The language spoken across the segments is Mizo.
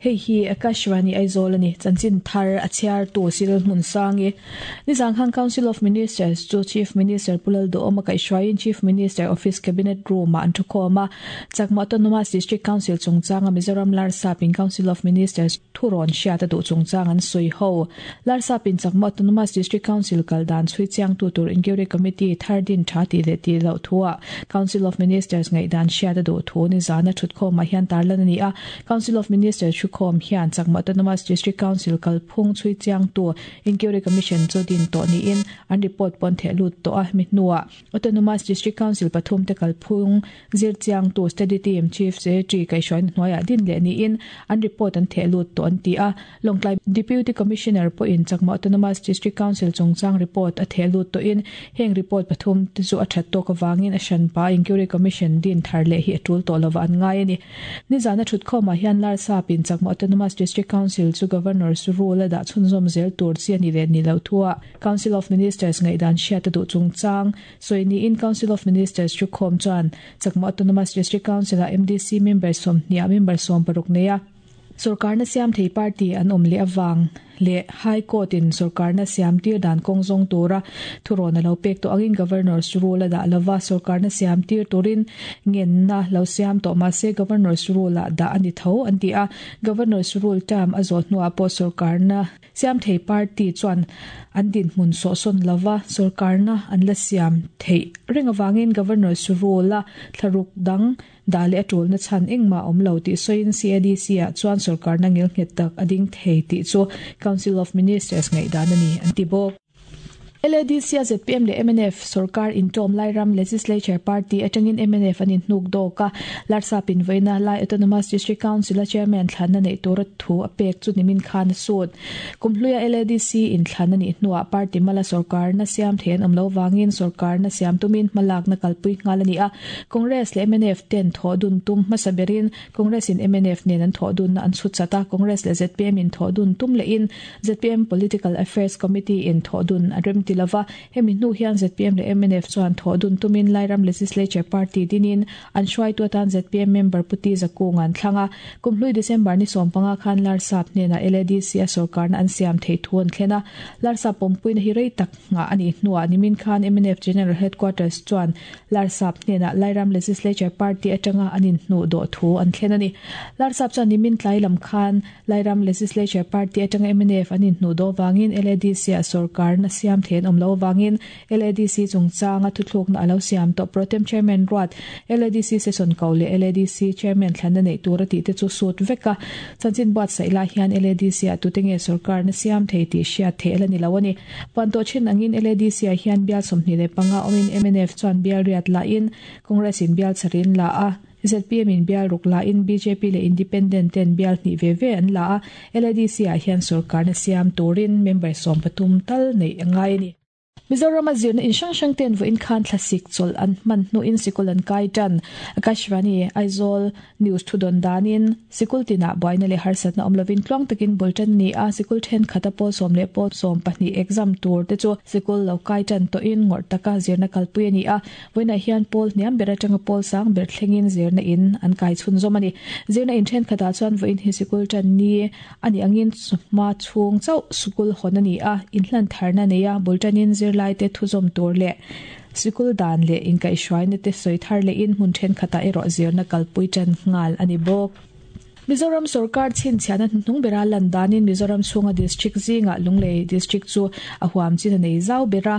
Hei hi Akashvani Aizawl a ni. Chanchin thar a chhiartu Cyril Hmunsangi. Nizan khan Council of Ministers chu Chief Minister Pu Lalduhawma kaihhruaiin Chief Minister Office Cabinet Room-ah an thukhawm a. Chakma Autonomous District Council chungchanga Mizoram Larsapin Council of Ministers thurawn hriat a duh chungchang an sawi ho. Larsapin Chakma Autonomous District Council kal dan chhui chiangtu tur Inquiry Committee thar din tha tih leh tih loh thuah Council of Ministers ngaihdan hriat a duh thu nizana thutkhawmah hian tarlan a ni a. Council of Ministers thukhawm hian Chakma Autonomous District Council kalphung chhui chiangtu Inquiry Commission chu din tawh niin an report pawn theh lut tawh a. Hemi hnuah Autonomous District Council pathumte kalphung zir chiangtu Study Team Chief Secretary kaihhruaina hnuaiah din leh niin an report an theh lut tawh an ti a. Lawngtlai Deputy Commissioner pawhin Chakma Autonomous District Council chungchang report a theh lut tawhin heng report pathum te chu a that tawk avangin a hranpa Inquiry Commission din thar leh hi a tul tawh lova an ngai a ni. Nizana thutkhawmah hian Larsapin Chakma Autonomous District Council chu Governor's rule a dah chhunzawm zel tur chi a ni leh ni lo thua Council of Ministers ngaihdan hriat a duh chungchang sawi niin Council of Ministers thukhawm chuan Chakma Autonomous District Council-ah MDC member sawmhniah member 60 nei a, Sorkarna siam thei party an awm leh avang leh High Court in sorkarna siam tir dan kawng zawng tura thurawn a lo pek tawh angin Governor's Rule a dah lova, sorkarna siam tir turin ngenna lo siam tawh mahse Governor's Rule ah dah a ni tho an ti a, Governor's Rule term a zawh hnuah pawh sorkarna siam thei party chuan an dinhmun sawhsawn lova sorkarna an la siam theih reng avangin Governor's Rule a thlaruk dang Dah leh a tulna chhan engmah a awm lo tih sawiin CADC-ah chuan sorkarna ngilnghet tak a ding thei tih chu Council of Ministers ngaihdan a ni an ti bawk. LADC-a zpm leh mnf sorkar intawm Lairam Legislature Party atangin mnf an inhnuk dawk a, Larsap invawiina Lai Autonomous District Council-a Chairman thlanna neih tura thu a pek chu nimin khan a sut. Kum hluia LADC inthlan a nih hnuah party mala sorkarna siam thei an awm lo vangin sorkarna siam tumin hmalakna kalpui nghal a ni a. Congress leh mnf ten thawh dun tum hmasa berin Congress in mnf nen an thawh dunna an chhut chat a, Congress leh zpm in thawh dun tum lehin zpm Political Affairs Committee in thawh dun a rem ti lova. Hemi hnu hian zpm leh mnf chuan thawh dun tumin Lairam Legislature Party dinin An hruaitu atan zpm member Pu Ti Zakung an thlang a, kum hlui December ni 15 khan Larsap hnenah LADC a sorkarna an siam theih thu an thlen a. Larsap pawmpuina hi rei tak nghah a nih hnuah nimin khan mnf General Headquarters chuan Larsap hnenah Lairam Legislature Party atanga an inhnuh dawh thu an thlen a ni. Larsap chuan nimin tlai lam khan Lairam Legislature Party atanga mnf an inhnuh dawh vangin LADC-ah sorkarna siam thei an awm loh avangin LADC chungchanga thuthlukna a lo siam tawh. Protem Chairman ruat LADC Session ko leh LADC Chairman thlanna neih tur a tih te chu sut vek a. Chanchin buatsaih lai hian LADC-ah tute nge sorkarna siam thei tih hriat theih a la ni lo a ni. Puan tawh thin angin LADC-ah hian bial 25 awmin mnf chuan bial riat lahin Congress in bial chharin la a. Zpm in bial ruk la in bjp leh Independent ten bial hnih ve ve an la a, LADC ah hian sorkarna siam turin member 13 tal neih a ngai a ni. Mizoram a zirna in hrang hrang ten vawiin khan thlasik chawlh an hman hnuin sikul an kai tan. Akashvani, Aizawl News thudawn danin sikul tinah buaina leh harsatna awm lovin tluang takin bul tan a ni a, sikul thenkhat a pawl sawm leh pawl 12 exam tur te chu sikul lo kai tan tawhin ngawrh taka zirna kalpui a ni a. Vawiinah hian pawl hniam ber atanga pawl sang ber thlengin zirna in an kai chhunzawm a ni. Zirna in thenkhatah chuan vawiin hi sikul tan ni a nih angin hma chhung chauh sikul hawn a ni a, inhlan tharna neia bul tanin zirlaite thuzawm tur leh sikul dan leh inkaihhruaina te sawi thar lehin hmun thenkhatah erawh zirna kalpui tan nghal a ni bawk. Mizoram sorkar chhinchhiahna hnuhnung bera lan danin Mizoram chhunga district zingah Lunglei District chu a huam chin a nei zau ber a.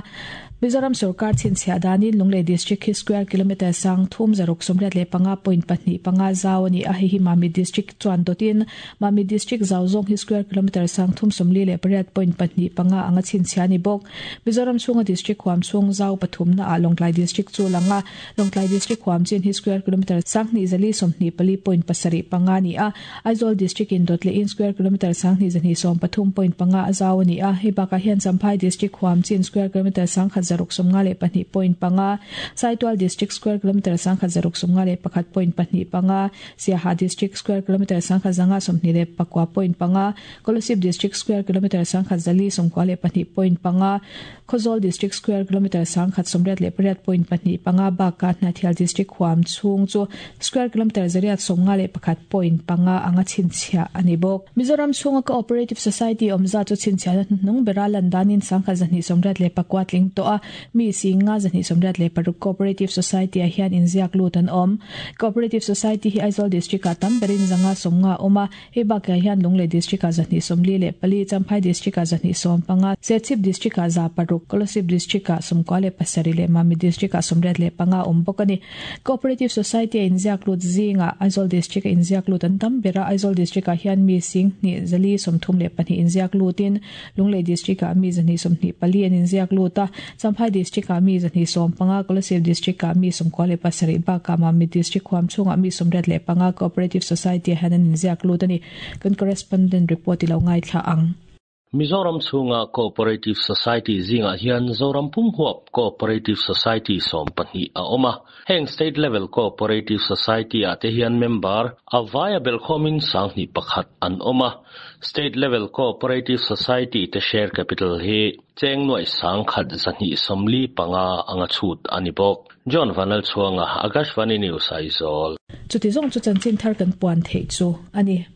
Mizoram sorkar chhinchhiah danin Lunglei District hi square kilometre sang thum zaruk 85 point pahnih panga zau a ni a, hei hi Mamit District chuan dawtin Mamit District zau zawng hi square kilometre sang thum 48 point pahnih panga anga chhinchhiah a ni bawk. Mizoram chhunga district huam chhung zau pathumna ah Lawngtlai District chu lang a. Lawngtlai District huam chin hi square kilometre 1224 point pasarih panga a ni a, Aizawl District in dawt lehin square kilometre 2213 point panga a zau a ni a, hei bakah hian Champhai District huam chin square kilometre 1652 point panga, Saitual District square kilometre 1651 point pahnih panga, Siaha District square kilometre 1529 point panga, Kolasib District square kilometre 1492 point panga, Khawzawl District square kilometre 1088 point pahnih panga bakah Hnahthial District huam chhung chu square kilometre 851 point panga. panga anga chhinchhiah a ni bawk. Mizoram chhunga Cooperative Society awm zat chu chhinchhiahna hnuhnung bera lan danin 1284 tling tawh a, mi 5286 Cooperative Society ah hian inziak lut an awm. Cooperative Society hi Aizawl District ah tam berin 550 a awm a, hei bakah hian Lunglei District ah 244, Champhai District ah 215, Serchhip District ah 600, Kolasib District ah 97 leh Mamit District ah 85 a awm bawk a ni. Cooperative Society a inziak lut zingah Aizawl District a inziak lut an tam ber a, Aizawl District ah hian mi 2 432 inziak lutin Lunglei District ah mi 124 an inziak lut a, Champhai District ah mi 115, Kolasib District ah mi 97 bakah Mamit District huam chhungah mi 85 Cooperative Society ah hian an inziak lut a ni. Kan Correspondent report i lo ngaithla ang. Mizoram chhunga Cooperative Society zingah hian Zoram pum huap Cooperative Society 12 a awm a. Heng State Level Cooperative Society ah te hian member a vaia belhkhawmin 1001 an awm a. State Level Cooperative Society te share capital hi cheng nuaih 1145 anga chhut a ni bawk. John Vanlalchhuanga, Akashvani News, Aizawl. Chuti zawng chu chanchin thar kan puan theih chu a ni.